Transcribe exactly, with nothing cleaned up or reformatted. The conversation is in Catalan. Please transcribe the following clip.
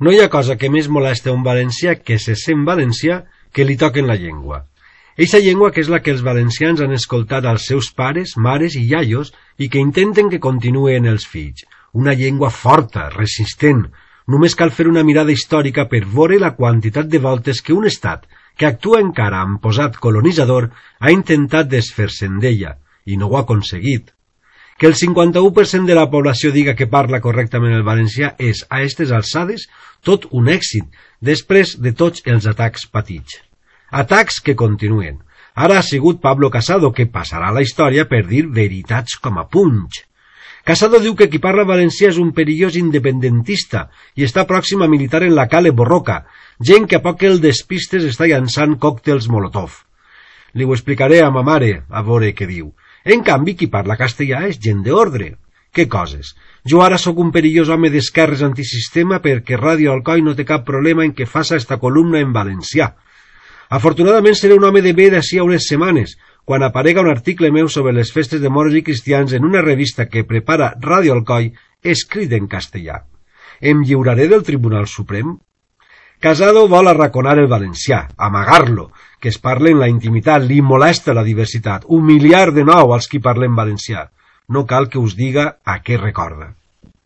No hi ha cosa que més molesta un valencià que se sent valencià que li toquen la llengua. Eixa llengua que és la que els valencians han escoltat als seus pares, mares i iaios i que intenten que continuï en els fills. Una llengua forta, resistent. Només cal fer una mirada històrica per veure la quantitat de voltes que un estat que actua encara amb posat colonitzador ha intentat desfer-se'n d'ella i no ho ha aconseguit. Que el cinquanta-u per cent de la població diga que parla correctament el valencià és, a aquestes alçades, tot un èxit, després de tots els atacs patits. Atacs que continuen. Ara ha sigut Pablo Casado, que passarà a la història per dir veritats com a punx. Casado diu que qui parla valencià és un perillós independentista i està pròxim a militar en la Cale Borroca, gent que a poc el despistes està llançant còctels Molotov. Li ho explicaré a ma mare, a veure què diu. En canvi, qui parla castellà és gent d'ordre. Què coses? Jo ara sóc un perillós home d'esquerres antisistema perquè Ràdio Alcoi no té cap problema en que faça esta columna en valencià. Afortunadament seré un home de bé d'ací a unes setmanes, quan aparega un article meu sobre les festes de moros i cristians en una revista que prepara Ràdio Alcoi, escrit en castellà. Em lliuraré del Tribunal Suprem? Casado vol arraconar el valencià, amagar-lo, que es parle en la intimitat, li molesta la diversitat, humiliar de nou als qui parlen valencià. No cal que us diga a què recorda.